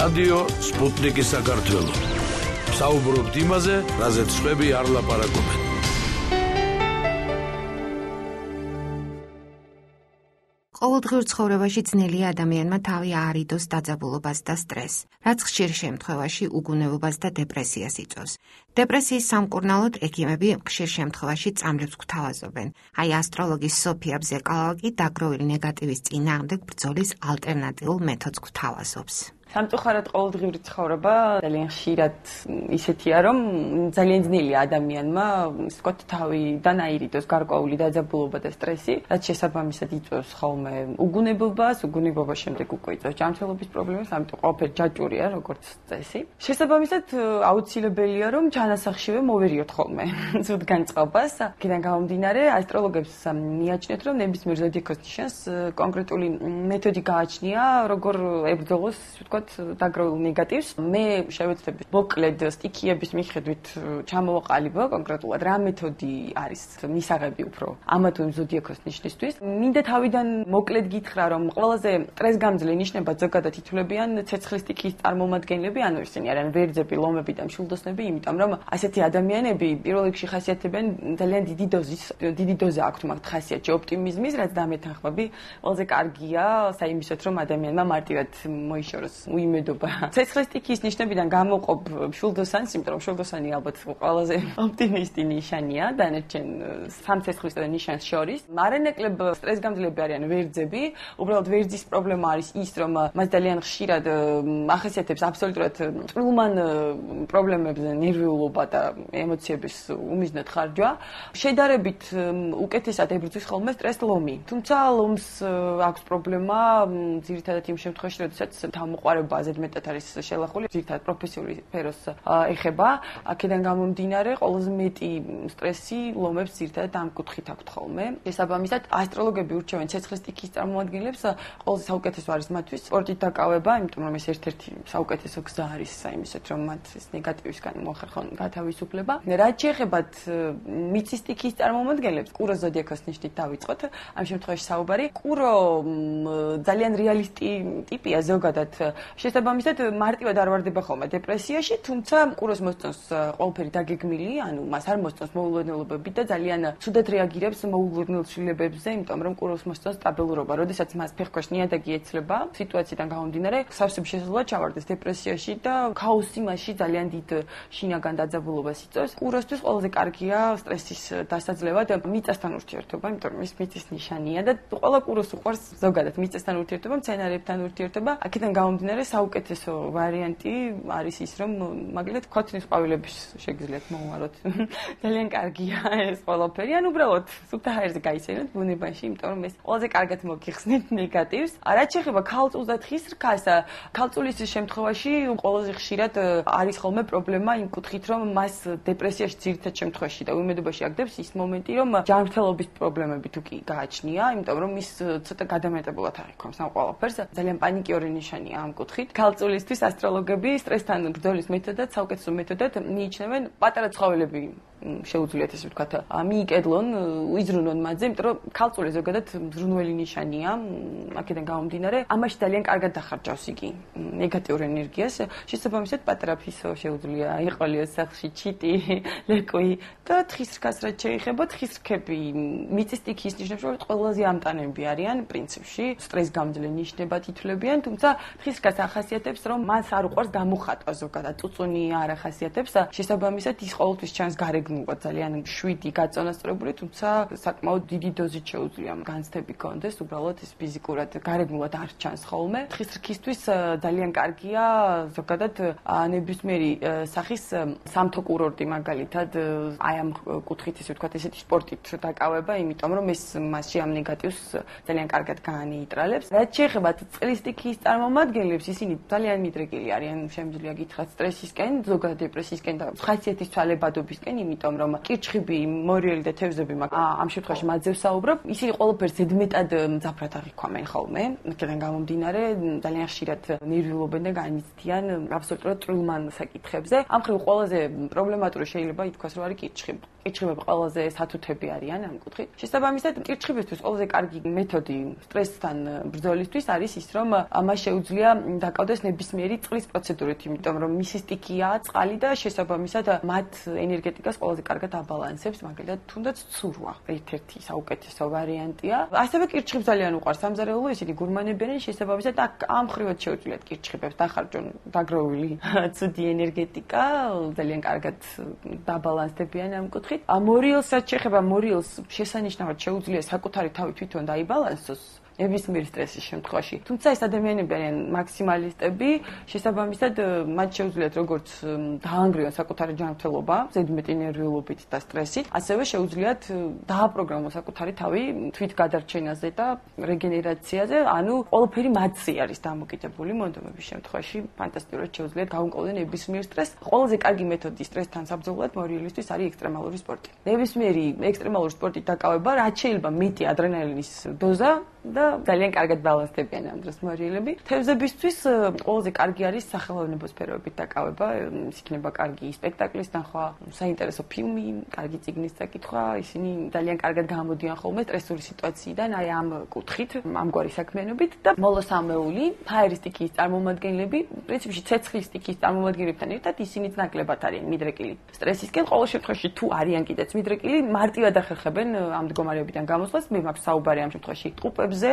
რადიო სპუტნიკი საქართველო. საუბრობთ იმაზე, რაზეც სხვები არ ლაპარაკობენ. ყოველდღიურ ცხოვრებაში ძნელია ადამიანმა თავი აარიდოს დაძაბულობას და სტრესს, რაც ხშირ შემთხვევაში უგუნებობას და დეპრესიას იწვევს. დეპრესიის სამკურნალოდ ექიმები ხშირ შემთხვევაში წამლებს გვთავაზობენ. აი ასტროლოგი სოფია ბზეკალავა კი დაგროვილი ნეგატივის წინააღმდეგ ბრძოლის ალტერნატიულ მეთოდს გვთავაზობს. სამწუხაროდ ყოველდღიური ცხოვრება ძალიან ხშირად ისეთია, რომ ძალიან ძნელია ადამიანმა, ისე ვთქვათ, თავიდან აირიდოს გარკვეული დაძაბულობა და სტრესი, რაც შესაბამისად იწვევს ხოლმე უგუნებობას, უგუნებობის შემდეგ უკვე იწვევს ჯანმრთელობის პრობლემას, ამიტომ ყველაფერი ჯაჭვურია, როგორც წესი. შესაბამისად, აუცილებელია, რომ ჩანასახშივე მოვერიოთ ხოლმე ზუთ განწყობას. აქედან გამომდინარე, ასტროლოგებს მიაჩნიათ, რომ ნებისმიერ ზოდიაქოს ნიშანს კონკრეტული მეთოდი გააჩნია, როგორ ებრძოლოს, დაგროვილ ნეგატივს. მე შევეცდები მოკლედ სტიქიების მიხედვით ჩამოვაყალიბო კონკრეტულად რა მეთოდი არის მისაღები უფრო ამა თუ იმ ზოდიაქოს ნიშნისთვის. მინდა თავიდან მოკლედ გითხრა, რომ ყველაზე სტრესგამძლე ნიშნებად ზოგადად ითვლებიან ცეცხლის სტიქიის წარმომადგენლები, ანუ ისინი არიან ვერძები, ლომები და მშვილდოსნები, იმიტომ რომ ასეთი ადამიანები პირველ რიგში ხასიათებენ ძალიან დიდი დოზა აქვთ მათ ხასიათში ოპტიმიზმის, რაც დამეთანხმები ყველაზე კარგია საიმისოთ, რომ ადამიანმა მარტივად მოიშოროს უიმედობა. ცეცხლის სტიქიის ნიშნებიდან გამოვყოფ მშვილდოსანს, იმიტომ რომ მშვილდოსანი ალბათ ყველაზე ოპტიმისტი ნიშანია დანარჩენ სამ ცეცხლის ნიშანს შორის. მარანაკლებ სტრესგამძლეები არიან ვერძები. უბრალოდ ვერძის პრობლემა არის ის, რომ მას ძალიან ხშირად ახასიათებს აბსოლუტურად წვრილმან პრობლემებზე ნერვიულობა და ემოციების უმიზნად ხარჯვა. შედარებით უკეთესად ებრძვის ხოლმე სტრესს ლომი. თუმცა ლომს აქვს პრობლემა ძირითადად იმ შემთხვევაში, როდესაც თავმოყარება ზედმეტად არის შელახული, ძირითადად პროფესიული სფეროს ეხება. აქედან გამომდინარე, ყველაზე მეტი სტრესი ლომებს ძირითადად ამ კუთხით აქვთ ხოლმე. შესაბამისად, ასტროლოგები ურჩევენ ცეცხლის სტიქიის წარმომადგენლებს, ყველაზე საუკეთესო არის მათთვის სპორტით დაკავება, იმიტომ რომ ეს ერთ-ერთი საუკეთესო გზა არის საიმისოთ, რომ მათ ეს ნეგატივისგან მოახერხონ გათავისუფლება. რაც შეეხებათ მიწის სტიქიის წარმომადგენლებს, კუროს ზოდიაქოს ნიშნით დავიწყოთ. ამ შემთხვევაში საუბარი კურო ძალიან რეალისტი ტიპია ზოგადად. შესაბამისად, მარტივად არ ვარდება ხოლმე დეპრესიაში, თუმცა კუროს მოსწონს ყველაფერი დაგეგმილი, ანუ მას არ მოსწონს მოულოდნელობები და ძალიან ცუდად რეაგირებს მოულოდნელ ცვლილებებზე, იმიტომ რომ კუროს მოსწონს სტაბილურობა. როდესაც მას ფეხქვეშ ნიადაგი ეცლება, სიტუაციიდან გამომდინარე, სავსები შესაძლოა ჩავარდეს დეპრესიაში და ქაოსი მასში ძალიან დიდ შინაგან დაძაბულობას იწვევს. კუროსთვის ყველაზე კარგია სტრესის დასაძლევად მიწასთან ურთიერთობა, იმიტომ რომ ის მიწის ნიშანია და ყველა კუროს უყვარს ზოგადად მიწასთან ურთიერთობა, მცენარეებთან ურთიერთობა. აქედან გამომდინარე, საუკეთესო ვარიანტი არის ის, რომ მაგალითად ქოთნის ყვავილების შეგიძლიათ მოუაროთ. ძალიან კარგია ეს ყველაფერი, ან უბრალოდ სუფთა ჰაერზე გაიცენოთ ბუნებაში, იმიტომ რომ ეს ყველაზე კარგად მოგიხსნით ნეგატივს. რაც შეეხება ქალწულს და თხის რქას, ქალწულის შემთხვევაში ყველაზე ხშირად არის ხოლმე პრობლემა იმ კუთხით, რომ მას დეპრესიაში ძირითად შემთხვევაში და უიმედობაში აგდებს ის მომენტი, რომ ჯანმრთელობის პრობლემები თუ კი გააჩნია, იმიტომ რომ ის ცოტა გადამეტებულად აღიქვამს ამ ყველაფერს. ძალიან პანიკიური ნიშანია ამ კუთხით. ქალწულისთვის ასტროლოგები სტრესთან ბრძოლის მეთოდად, საუკეთესო მეთოდად მიიჩნევენ პატარა ცხოველები შეუძლიათ ესე ვთქვათ, მიიკედლონ, იზრუნონ მათზე, იმიტომ რომ ქალწული ზოგადად მზრუნველი ნიშანია, აქედან გამომდინარე, ამაში ძალიან კარგად დახარჯავს იგი ნეგატიურ ენერგიას. შესაბამისად, პატარა ფისო შეუძლია იყოლიოს სახლში ჩიტი, ლეკვი და თხის რქას რაც შეეხება, თხის რქები მიწის სტიქიის ნიშნებში ყველაზე ამტანები არიან პრინციპში, სტრესგამძლე ნიშნებად ითვლებიან, თუმცა თხის რქას ახასიათებს, რომ მას არ უყვარს გამოხატვა ზოგადად, წუწუნი არ ახასიათებს, შესაბამისად ის ყოველთვის ჩანს გარეგნულად ძალიან შვიდი გაწონასწორებული, თუმცა საკმაოდ დიდი დოზით შეუძლია განცდები კონდეს, უბრალოდ ეს ფიზიკურად გარეგნულად არ ჩანს ხოლმე. თხის რქისთვის ძალიან კარგია ზოგადად ნებისმიერი სახის სამთო კურორტი მაგალითად, აი ამ კუთხით ესე ვთქვათ, ესეთი სპორტით დაკავება, იმიტომ რომ ეს მასში ამ ნეგატივს ძალიან კარგად გაანეიტრალებს. რაც შეეხება წყლის სტიქიის წარმომადგენლებს, ისინი ძალიან მიდრეკილი არიან, შემიძლია გითხრათ სტრესისკენ, ზოგადად დეპრესიისკენ და ხასიათის ცვალებადობისკენ, იმიტომ რომ კირჩხიბი, მორიელი და თევზები ამ შემთხვევაში მათზე ვსაუბრობ, ისინი ყველაფერს ზედმეტად მძაფრად აღიქვამენ ხოლმე. აქედან გამომდინარე, ძალიან ხშირად ნერვიულობენ და განიცდიან აბსოლუტურად წვრილმან საკითხებზე. ამ მხრივ ყველაზე პრობლემატური შეიძლება ითქვას, რომ არის კირჩხიბი. კირჩხიბები ყველაზე სათუთები არიან ამ კუთხით. შესაბამისად, კირჩხიბისთვის ყველაზე კარგი მეთოდი სტრესთან ბრძოლისთვის არის ის, რომ მას შეუძლია დაკავდეს ნებისმიერი წყლის პროცედურით, იმიტომ რომ მისი სტიქია წყალი და შესაბამისად მათ ენერგეტიკას ყველაზე კარგად აბალანსებს, მაგალითად, თუნდაც ცურვა ერთ-ერთი საუკეთესო ვარიანტია. ასევე კირჩხიბს ძალიან უყვარს სამზარეულო, ისინი გურმანებიან, შესაბამისად ამ მხრივად შეუძლიათ კირჩხიბებს დახარჯონ დაგროვილი ცუდი ენერგეტიკა, ძალიან კარგად დაბალანსდებიან ამ კუთხით. მორიელსაც შეეხება, მორიელს შესანიშნავად შეუძლია საკუთარი თავი თვითონ დაიბალანსოს ნებისმიერ სტრესის შემთხვევაში. თუმცა ეს ადამიანები არიან მაქსიმალისტები, შესაბამისად მათ შეუძლიათ როგორც დაანგრიონ საკუთარი ჯანმრთელობა, ზედმეტი ნერვიულობით და სტრესით, ასევე შეუძლიათ დააპროგრამონ საკუთარი თავი თვითგადარჩენაზე და რეგენერაციაზე, ანუ ყველაფერი მათზე არის დამოკიდებული მონდომების შემთხვევაში, ფანტასტიკურად შეუძლიათ გაუმკლავდნენ ნებისმიერ სტრესს. ყველაზე კარგი მეთოდი სტრესთან საბრძოლოდ მორიელისთვის არის ექსტრემალური სპორტი. ნებისმიერი ექსტრემალური სპორტით დაკავება, რაც შეიძლება მეტი ადრენალინის დოზა და ძალიან კარგად ბალანსდებიან ამ დროს მორიელები. თევზებისთვის ყველაზე კარგი არის სახელოვნებო სფეროებით დაკავება, ის იქნება კარგი სპექტაკლის ნახვა, საინტერესო ფილმი, კარგი წიგნის წაკითხვა, ისინი ძალიან კარგად გამოდიან ხოლმე სტრესული სიტუაციიდან, აი ამ კუთხით, ამგვარი საქმიანობით და მოლოსამეული, ფაერის სტიქიის წარმომადგენლები, პრინციპში ცეცხლის სტიქიის წარმომადგენლებთან ერთად ისინიც ნაკლებად არიან მიდრეკილი სტრესისკენ, ყოველ შემთხვევაში თუ არიან კიდეც მიდრეკილი, მარტივად ახერხებენ ამ მდგომარეობიდან გამოსვლას, მე მაქვს საუბარი ამ შემთხვევაში ტყუპებზე,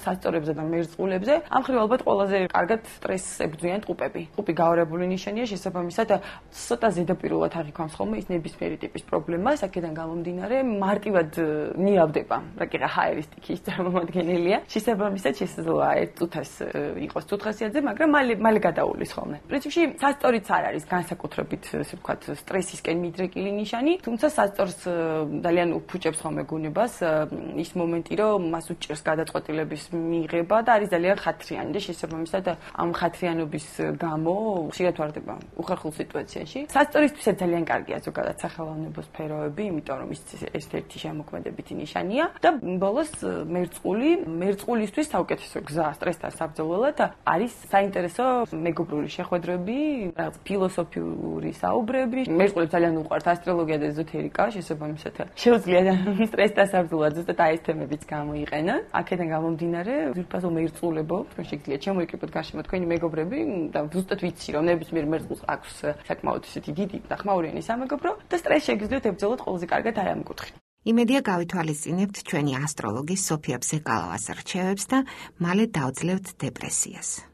სასწორებზე და მერწყულებზე. ამ მხრივ ალბათ ყველაზე კარგად სტრესს ებრძვიან ტყუპები. ტყუპი გაორებული ნიშანია, შესაბამისად ცოტა ზედაპირულად აღიქვამს ხოლმე ის ნებისმიერი ტიპის პრობლემას, აქედან გამომდინარე მარტივად ნიავდება, რაკიღა ჰაერის სტიქიის წარმომადგენელია. შესაბამისად შესაძლოა ერთ წუთას იყოს წუთხასიათზე, მაგრამ მალე გადაუვლის ხოლმე. პრინციპში სასწორიც არ არის განსაკუთრებით, ასე ვთქვათ, სტრესისკენ მიდრეკილი ნიშანი, თუმცა სასწორს ძალიან უფუჭებს ხოლმე გუნებას ის მომენტი, რომ მას უჭირს გადაწყვეტილების მიღება და არის ძალიან ხათრიანი და შესაბამისად ამ ხათრიანობის გამო ხშირად ვარდება უხერხულ სიტუაციაში. სასწორისთვისაც ძალიან კარგია ზოგადად სახელოვნებო სფეროები, იმიტომ რომ ის ერთ-ერთი შემოქმედებითი ნიშანია და ბოლოს მერწყულისთვის საუკეთესო გზა სტრესთან საბრძოლველად არის საინტერესო მეგობრული შეხვედრები, რაღაც ფილოსოფიური საუბრები. მერწყულებს ძალიან უყვართ ასტროლოგია და ეზოთერიკა, შესაბამისად შეუძლიათ სტრესთან საბრძოლველად ზუსტად აი ეს თემებიც გამოიყენონ. აქედან გამომდინარე, ძირფასო მერწყულებო, თქვენ შეგიძლიათ შემოიკრიბოთ გარშემო თქვენი მეგობრები და ზუსტად ვიცი, რომ ნებისმიერ მერწყულს აქვს საკმაოდ ისეთი დიდი და ხმაურიანი სამეგობრო და სტრესს შეგიძლიათ ებრძოლოთ ყველაზე კარგად აი ამ კუთხით. იმედია გავითვალისწინებთ ჩვენი ასტროლოგის სოფია ბზეკალავას რჩევებს და მალე დავძლევთ დეპრესიას.